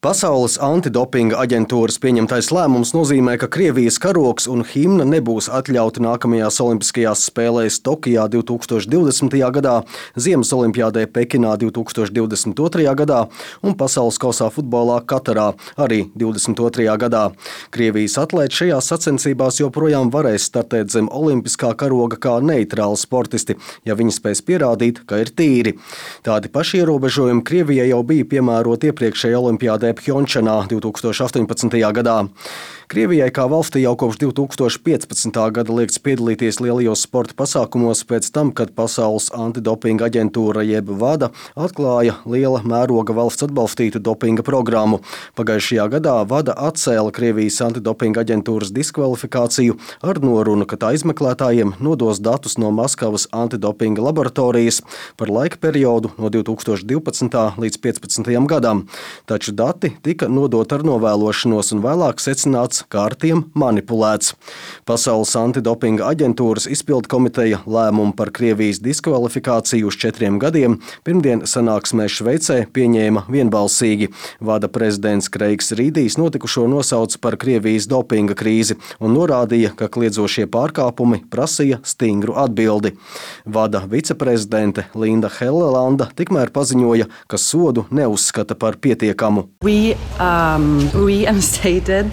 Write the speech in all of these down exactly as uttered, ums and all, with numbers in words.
Pasaules antidopinga aģentūras pieņemtais lēmums nozīmē, ka Krievijas karogs un himna nebūs atļauti nākamajās Olimpiskajās spēlēs Tokijā divi tūkstoši divdesmitajā gadā, Ziemas olimpiādē Pekinā divi tūkstoši divdesmit otrajā gadā un Pasaules kausā futbolā Katarā arī divdesmit otrajā gadā. Krievijas atlēti šajās sacensībās joprojām varēs startēt zem olimpiskā karoga kā neitrāli sportisti, ja viņi spēs pierādīt, ka ir tīri. Tādi paši ierobežojumi Krievijai jau bija piemēroti iepriekšējā olimpiādē Pjončanā divi tūkstoši astoņpadsmitajā gadā. Krievijai kā valstī jau kopš divi tūkstoši piecpadsmitā gada liekts piedalīties lielajos sporta pasākumos pēc tam, kad Pasaules antidopinga aģentūra jeb VADA atklāja liela mēroga valsts atbalstītu dopinga programmu. Pagājušajā gadā VADA atcēla Krievijas antidopinga aģentūras diskvalifikāciju ar norunu, ka tā izmeklētājiem nodos datus no Maskavas antidopinga laboratorijas par laika periodu no divi tūkstoši divpadsmitā līdz piecpadsmitajam gadam. Taču dati tika nodot ar novēlošanos un vēlāk secināts, kā ar tiem manipulēts. Pasaules antidopinga aģentūras izpildu komiteja lēmumu par Krievijas diskvalifikāciju uz četriem gadiem pirmdien sanāksmē Šveicē pieņēma vienbalsīgi. VADA prezidents Kreigs Rīdijs notikušo nosauca par Krievijas dopinga krīzi un norādīja, ka kliedzošie pārkāpumi prasīja stingru atbildi. VADA viceprezidente Linda Helelanda tikmēr paziņoja, ka sodu neuzskata par pietiekamu. We um, reinstated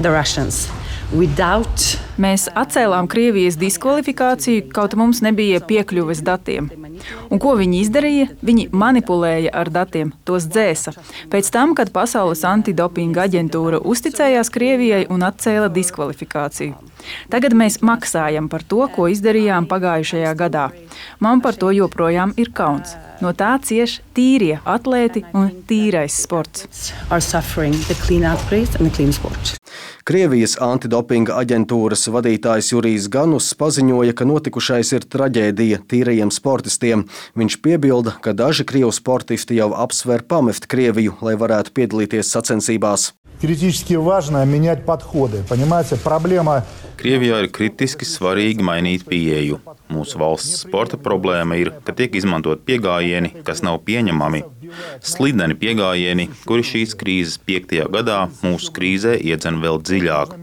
the Russians without Mēs atcēlām Krievijas diskvalifikāciju, kaut mums nebija piekļuves datiem. Un ko viņi izdarīja? Viņi manipulēja ar datiem, tos dzēsa. Pēc tam, kad Pasaules antidopinga aģentūra uzticējās Krievijai un atcēla diskvalifikāciju. Tagad mēs maksājam par to, ko izdarījām pagājušajā gadā. Man par to joprojām ir kauns. No tā cieš tīrie atlēti un tīrais sports. Krievijas antidopinga aģentūras vadītājs Jurijs Ganus paziņoja, ka notikušais ir traģēdija tīrajiem sportistiem. Viņš piebilda, ka daži krievu sportisti jau apsver pamest Krieviju, lai varētu piedalīties sacensībās. Kritiski важно менять подходы. Понимаете, проблема. Krievijā ir kritiski svarīgi mainīt pieeju. Mūsu valsts sporta problēma ir, ka tiek izmantot piegājieni, kas nav pieņemami. Slideni piegājieni, kuri šīs krīzes piektajā gadā mūsu krīzē iedzen vēl dziļāk.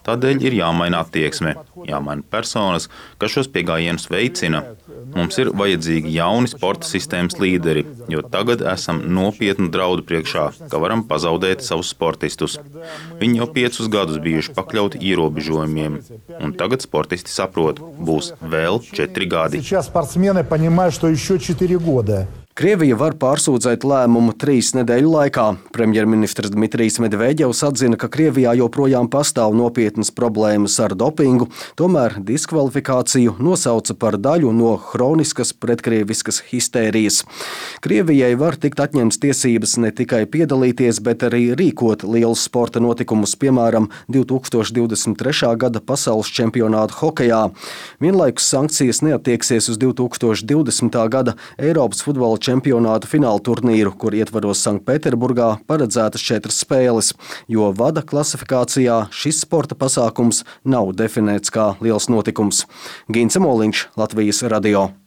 Tādēļ ir jāmaina attieksme, jāmaina personas, kas šos piegājienus veicina. Mums ir vajadzīgi jauni sporta sistēmas līderi, jo tagad esam nopietnu draudu priekšā, ka varam pazaudēt savus sportistus. Viņi jau piecus gadus bijuši pakļauti ierobežojumiem, un tagad sportisti saprot, būs vēl četri gadi. Krievija var pārsūdzēt lēmumu trīs nedēļu laikā. Premjerministrs Dmitrijs Medveģevs atzina, ka Krievijā joprojām pastāv nopietnas problēmas ar dopingu, tomēr diskvalifikāciju nosauca par daļu no hroniskas pretkrieviskas histērijas. Krievijai var tikt atņemts tiesības ne tikai piedalīties, bet arī rīkot lielus sporta notikumus, piemēram, divi tūkstoši divdesmit trešā gada pasaules čempionātu hokejā. Vienlaikus sankcijas neattieksies uz divi tūkstoši divdesmitā gada Eiropas futbola čempionātu fināla turnīru, kur ietvaros Sanktpēterburgā paredzētas četras spēles, jo VADA klasifikācijā šis sporta pasākums nav definēts kā liels notikums. Gince Moliņš, Latvijas radio.